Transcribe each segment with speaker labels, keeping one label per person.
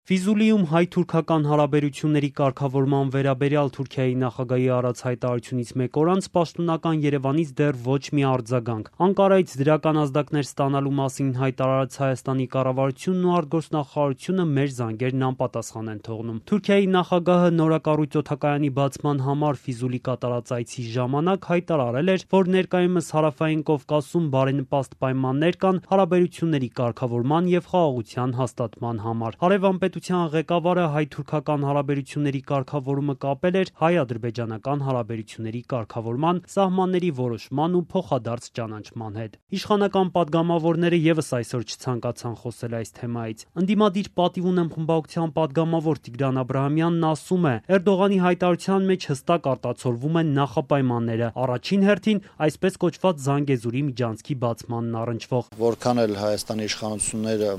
Speaker 1: Ֆիզուլիում հայ-թուրքական հարաբերությունների կարգավորման վերաբերյալ Թուրքիայի նախագահի արած հայտարարությունից մեկ օր անց պաշտոնական Երևանից դեռ ոչ մի արձագանք։ Անկարայից դրական ազդակներ ստանալու մասին հայտարարած Հայաստանի կառավարությունն ու արտգործնախարարությունը մեր զանգերն անպատասխան են թողնում։ Թուրքիայի նախագահը նորակառույց օդակայանի բացման համար Ֆիզուլի կատարած այցի ժամանակ հայտարարել էր, որ ներկայումս Հարավային Կովկասում բարենպաստ պայմաններ կան հարաբերությունների կարգավորման եւ խաղաղության հաստատման համար։ Հարևանպետության ղեկավարը հայ-թուրքական հարաբերությունների կարգավորումը կապել էր հայ-ադրբեջանական հարաբերությունների կարգավորման, սահմանների որոշման ու փոխադարձ ճանաչման հետ։ Իշխանական պատգամավորները եւս այսօր չցանկացան խոսել այս թեմայից։ Ընդդիմադիր պատիվ ունեմ խմբակցության պատգամավոր Տիգրան Աբրահամյանն ասում է, Էրդողանի հայտարարության մեջ հստակ արտացոլվում են նախապայմանները, առաջին հերթին այսպես կոչված Զանգեզուրի միջանցքի բացմանն առնչվող։
Speaker 2: Որքան էլ Հայաստանի իշխանությունները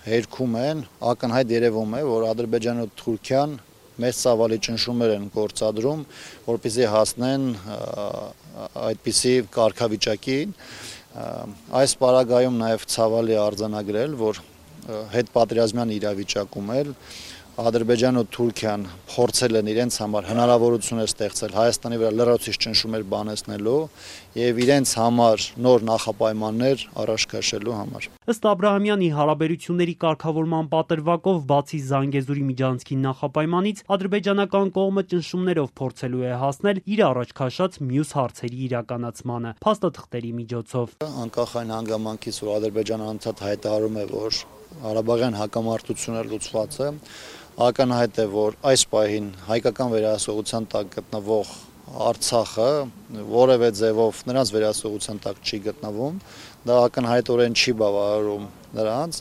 Speaker 2: հերքում են, ակնհայտ երևում է, որ Ադրբեջանը ու Թուրքիան մեծ ծավալի ճնշումներ են գործադրում, որպեսզի հասնեն այդպիսի կարգավիճակին։ Այս պարագայում նաև ցավալի արձանագրել, որ հետպատերազմյան իրավիճակում էլ Ադրբեջանն ու Թուրքիան փորձել են իրենց համար հնարավորություններ ստեղծել Հայաստանի վրա լրացուցիչ ճնշումներ բանեցնելու եւ իրենց համար նոր նախապայմաններ առաջ քաշելու համար։
Speaker 1: Ըստ Աբրահամյանի, հարաբերությունների կարգավորման պատրվակով բացի Զանգեզուրի միջանցքի նախապայմանից ադրբեջանական կողմը ճնշումներով փորձելու է հասնել իր առաջ քաշած մյուս հարցերի իրականացմանը փաստաթղթերի միջոցով։
Speaker 2: Անկախ այն հանգամանքից, որ Ադրբեջանը անդադ հայտարարում է, որ Ղարաբաղյան հակամարտությունը լուծված է, ակնհայտ է, որ այս պահին հայկական վերահսողության տակ գտնվող Արցախը որևէ ձևով նրանց վերահսողության տակ չի գտնվում, դա ակնհայտորեն չի բավարարում նրանց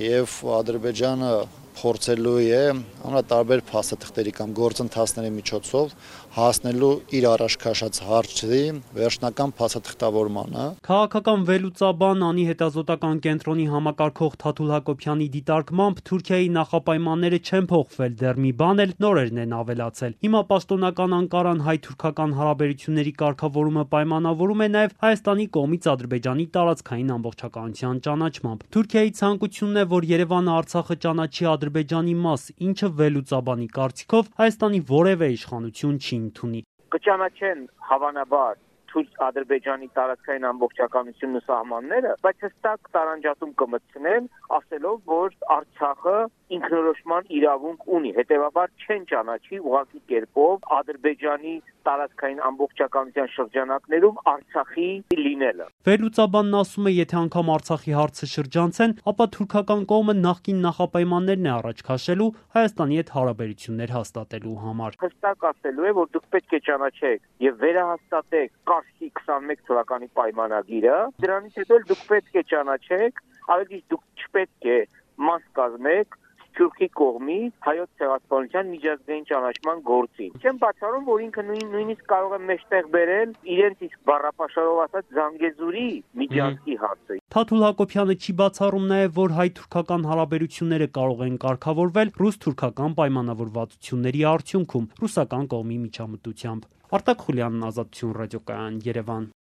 Speaker 2: եւ Ադրբեջանը փորձելու է ամենատարբեր փաստաթղթերի կամ գործընթացների միջոցով հասնելու իր առաջ քաշած հարցերի վերջնական փաստաթղթավորմանը։
Speaker 1: Քաղաքական վերլուծաբան Անի հետազոտական կենտրոնի համակարգող Թաթուլ Հակոբյանի դիտարկմամբ Թուրքիայի նախապայմանները չեն փոխվել, դեռ մի բան էլ նորերն են ավելացել։ Հիմա պաշտոնական Անկարան հայ-թուրքական հարաբերությունների կարգավորումը պայմանավորում է նաև Հայաստանի կողմից Ադրբեջանի տարածքային ամբողջականության ճանաչմամբ։ Թուրքիայի ցանկությունն է, որ Երևանը Արցախը ճանաչի Ադրբեջանի մաս, ինչը վերլուծաբանի կարծիքով Հայաստանի որևէ իշխանություն չի ընդունի։
Speaker 3: Կճանաչեն հավանաբար Ադրբեջանի տարածքային ամբողջականությունն ու սահմանները, բայց հստակ տարանջատում կմտցնեն, ասելով, որ Արցախը ինքնորոշման իրավունք ունի, հետևաբար չեն ճանաչի ուղղակի կերպով Ադրբեջանի տարածքային ամբողջականության շրջանակներում Արցախի լինելը։
Speaker 1: Վերլուծաբանն ասում է, եթե անգամ Արցախի հարցը շրջանցեն, ապա թուրքական կողմը նախկին նախապայմաններն է առաջ քաշելու Հայաստանի հետ հարաբերություններ հաստատելու համար։
Speaker 3: Հստակ ասելու է, որ դուք պետք է ճանաչեք եւ վերահաստատեք Կարսի 21 թվականի պայմանագիրը, դրանից հետո դուք պետք է ճանաչեք, ավելի դուք չպետք է մաս կազմեք Թուրքի կողմից հայոց ցեղասպանության միջազգային ճանաչման գործին։ Չեմ բացառում, որ ինքը նույնիսկ կարող է մեջտեղ բերել իրենց իսկ բառապաշարով ասած Զանգեզուրի միջանցքի հարցը։
Speaker 1: Թաթուլ Հակոբյանը չի բացառում նաև, որ հայ-թուրքական հարաբերությունները կարող են կարգավորվել ռուս-թուրքական պայմանավորվածությունների արդյունքում ռուսական կողմի միջամտությամբ։ Արտակ Խուլյանն, Ազատություն ռադիոկայան, Երևան։